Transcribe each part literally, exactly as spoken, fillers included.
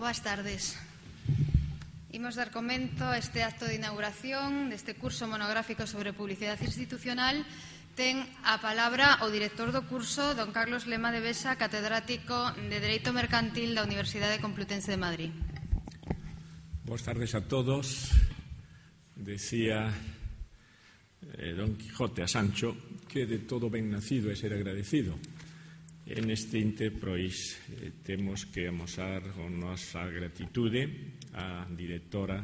Boas tardes. Imos dar comento a este acto de inauguración deste curso monográfico sobre publicidade institucional. Ten a palabra o director do curso, don Carlos Lema de Besa, catedrático de Dereito Mercantil da Universidade Complutense de Madrid. Boas tardes a todos. Decía eh, don Quijote a Sancho que de todo ben nacido é ser agradecido. En este inter, pois, eh, temos que amosar a nosa gratitude á directora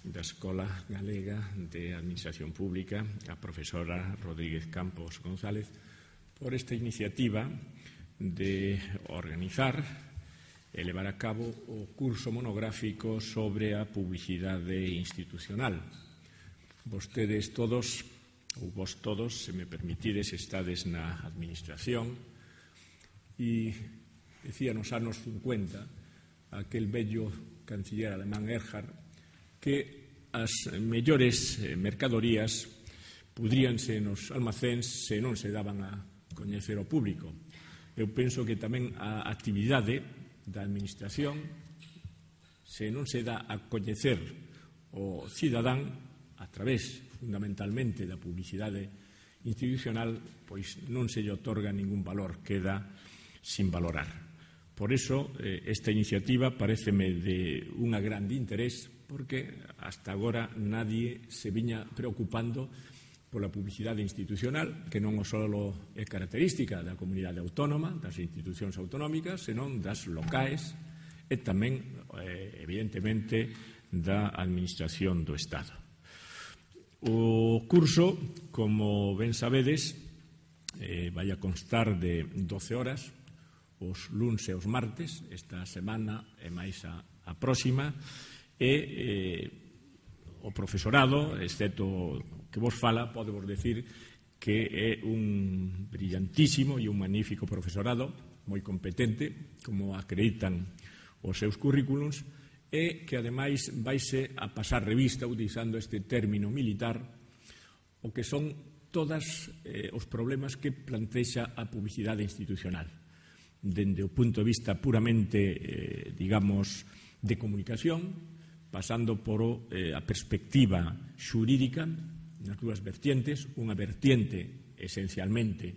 da Escola Galega de Administración Pública, a profesora Rodríguez Campos González, por esta iniciativa de organizar e levar a cabo o curso monográfico sobre a publicidade institucional. Vostedes todos, ou vos todos, se me permitides, estades na administración. E decía nos anos cincuenta aquel bello canciller alemán Erhard que as mellores mercadorías pudríanse nos almacéns se non se daban a coñecer ao público. Eu penso que tamén a actividade da administración, se non se dá a coñecer o cidadán a través fundamentalmente da publicidade institucional, pois non se lle otorga ningún valor, queda sin valorar. Por iso, eh, esta iniciativa pareceme de unha grande interés, porque hasta agora nadie se viña preocupando pola publicidade institucional, que non só é característica da comunidade autónoma, das institucións autonómicas, senón das locais e tamén, eh, evidentemente, da administración do Estado. O curso, como ben sabedes, eh, vai a constar de doce horas, os luns e os martes, esta semana e máis a, a próxima, e eh, o profesorado, excepto que vos fala, podemos decir que é un brillantísimo e un magnífico profesorado, moi competente, como acreditan os seus currículums, e que ademais vaise a pasar revista, utilizando este término militar, o que son todos eh, os problemas que plantexa a publicidade institucional, dende o punto de vista puramente, eh, digamos, de comunicación, pasando por eh, a perspectiva xurídica, nas dúas vertientes, unha vertiente esencialmente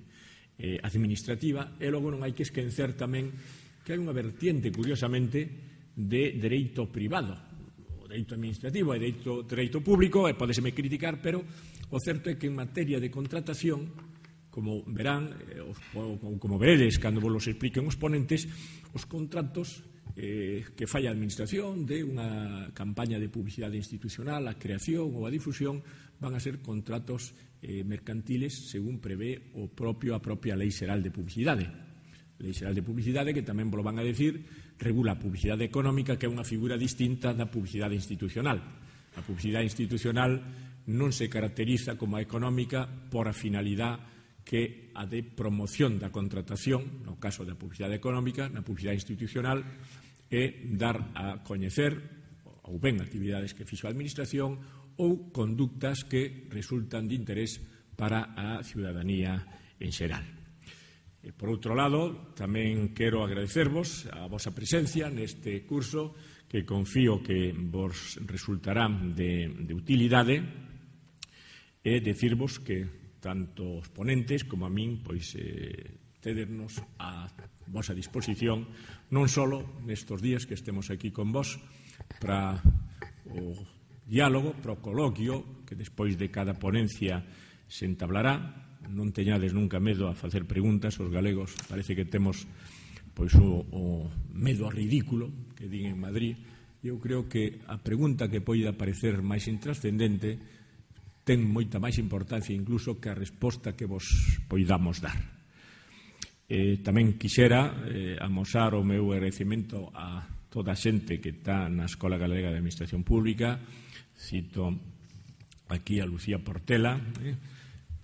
eh, administrativa, e logo non hai que esquecer tamén que hai unha vertiente, curiosamente, de dereito privado, o dereito administrativo e dereito, dereito público, e podeseme criticar, pero o certo é que en materia de contratación, como verán, ou como veredes cando vos los expliquen os ponentes, os contratos eh, que fai a administración de unha campaña de publicidade institucional, a creación ou a difusión, van a ser contratos eh, mercantiles según prevé o propio a propia Lei Xeral de Publicidade. Lei Xeral de Publicidade, que tamén vos lo van a decir, regula a publicidade económica, que é unha figura distinta da publicidade institucional. A publicidade institucional non se caracteriza como a económica por a finalidade que a de promoción da contratación, no caso da publicidade económica, na publicidade institucional, é dar a coñecer ou ben actividades que fixo a administración ou conductas que resultan de interés para a ciudadanía en xeral. E, por outro lado, tamén quero agradecervos a vosa presencia neste curso, que confío que vos resultará de, de utilidade, e decirvos que tanto os ponentes como a min, pois, eh, tedernos a vosa disposición, non só nestos días que estemos aquí con vos, para o diálogo, para o coloquio, que despois de cada ponencia se entablará. Non teñades nunca medo a facer preguntas, os galegos parece que temos pois o, o medo a ridículo, que din en Madrid. Eu creo que a pregunta que poida parecer máis intrascendente ten moita máis importancia incluso que a resposta que vos poidamos dar. Eh, tamén quixera eh, amosar o meu agradecemento a toda a xente que está na Escola Galega de Administración Pública. Cito aquí a Lucía Portela, eh,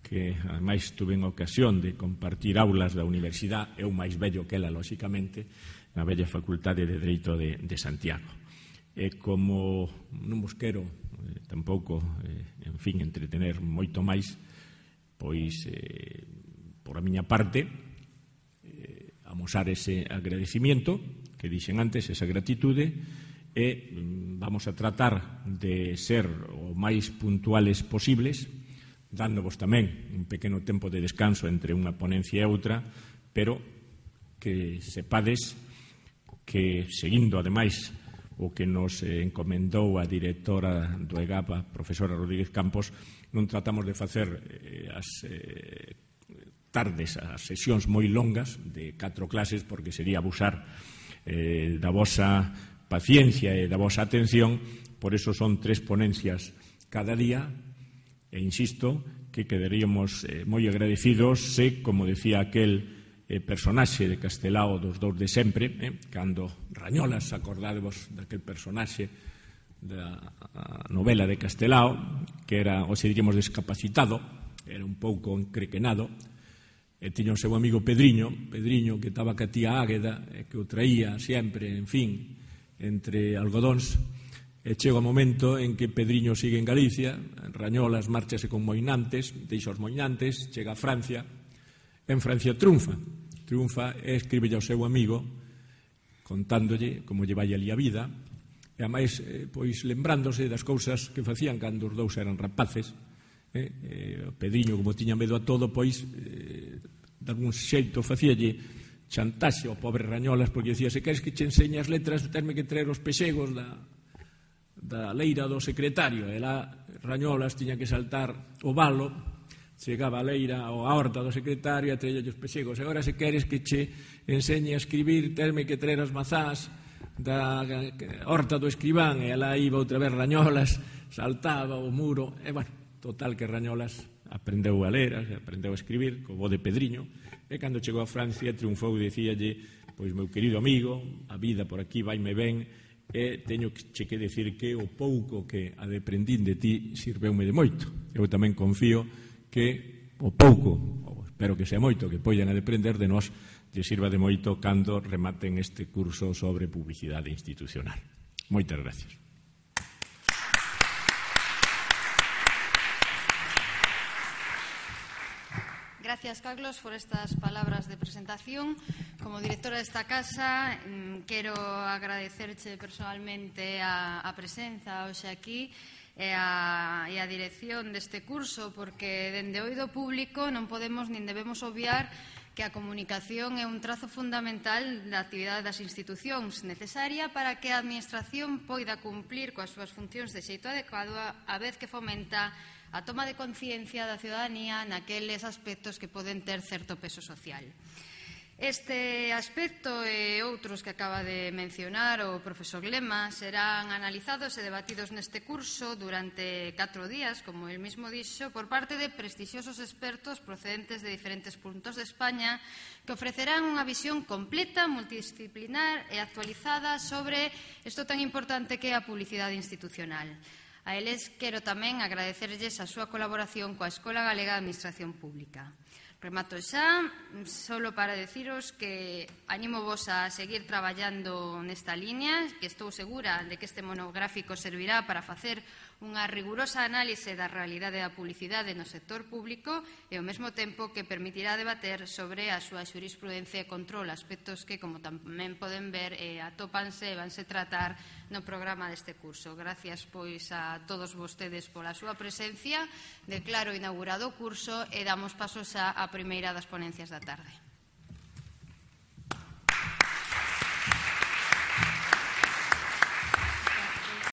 que ademais tuve en ocasión de compartir aulas da universidade, eu máis vello que ela, lóxicamente, na bella Facultade de Dereito de, de Santiago. E como non vos quero eh, tampouco, eh, en fin, entretener moito máis, pois, eh, por a miña parte, eh, amosar ese agradecimiento que dixen antes, esa gratitude, e vamos a tratar de ser o máis puntuales posibles, dándovos tamén un pequeno tempo de descanso entre unha ponencia e outra, pero que sepades que, seguindo, ademais, o que nos encomendou a directora do E G A P, a profesora Rodríguez Campos, non tratamos de facer eh, as eh, tardes, as sesións moi longas de catro clases, porque sería abusar eh, da vosa paciencia e da vosa atención. Por eso son tres ponencias cada día, e insisto que quedaríamos eh, moi agradecidos se, como decía aquel eh, personaxe de Castelao dos dous de sempre, eh, cando Rañolas, acordádevos daquel personaxe da novela de Castelao, que era, ou se diríamos, descapacitado, era un pouco encrequenado, e tiña o seu amigo Pedriño, Pedriño que estaba ca tía Águeda, e que o traía sempre, en fin, entre algodóns. E chega o momento en que Pedriño sigue en Galicia, Rañolas márchase con Moinantes, deixa os Moinantes, chega a Francia, en Francia triunfa, triunfa e escribe ao seu amigo contándolle como lle vai ali a vida, e ademais, eh, pois, lembrándose das cousas que facían cando os dous eran rapaces. eh, eh, Pedriño, como tiña medo a todo, pois, eh, de algún xeito facíalle chantaxe ao pobre Rañolas, porque dicía, se queres que che enseñe as letras, terme que traer os pexegos da da leira do secretario. E lá Rañolas tiña que saltar o valo, chegaba a leira ou a horta do secretario e traía os pexegos. E agora, se queres que che enseñe a escribir, terme que traer as mazás da horta do escribán. E lá iba outra vez Rañolas, saltaba o muro, e, bueno, total que Rañolas aprendeu a ler, aprendeu a escribir, co bo de Pedriño, e cando chegou a Francia triunfou e dicíalle, pois, meu querido amigo, a vida por aquí vaime ben, e teño che que decir que o pouco que adeprendín de ti sirveume de moito. Eu tamén confío que o pouco, ou espero que sea moito, que poidan adeprender de nós, lle sirva de moito cando rematen este curso sobre publicidade institucional. Moitas gracias. Gracias, Carlos, por estas palabras de presentación. Como directora desta casa, quero agradecerche personalmente a, a presenza hoxe aquí e a, e a dirección deste curso, porque dende o oído público non podemos nin debemos obviar que a comunicación é un trazo fundamental da actividade das institucións, necesaria para que a Administración poida cumplir coas súas funcións de xeito adecuado, a vez que fomenta a toma de conciencia da ciudadanía naqueles aspectos que poden ter certo peso social. Este aspecto e outros que acaba de mencionar o profesor Lema serán analizados e debatidos neste curso durante catro días, como el mismo dixo, por parte de prestixiosos expertos procedentes de diferentes puntos de España que ofrecerán unha visión completa, multidisciplinar e actualizada sobre isto tan importante que é a publicidade institucional. A eles quero tamén agradecerlles a súa colaboración coa Escola Galega de Administración Pública. Remato xa, solo para deciros que animo vos a seguir traballando nesta liña, que estou segura de que este monográfico servirá para facer unha rigurosa análise da realidade da publicidade no sector público e ao mesmo tempo que permitirá debater sobre a súa xurisprudencia e control, aspectos que, como tamén poden ver, eh, atópanse e vanse tratar no programa deste curso. Gracias, pois, a todos vostedes pola súa presencia. Declaro inaugurado o curso e damos pasos á primeira das ponencias da tarde.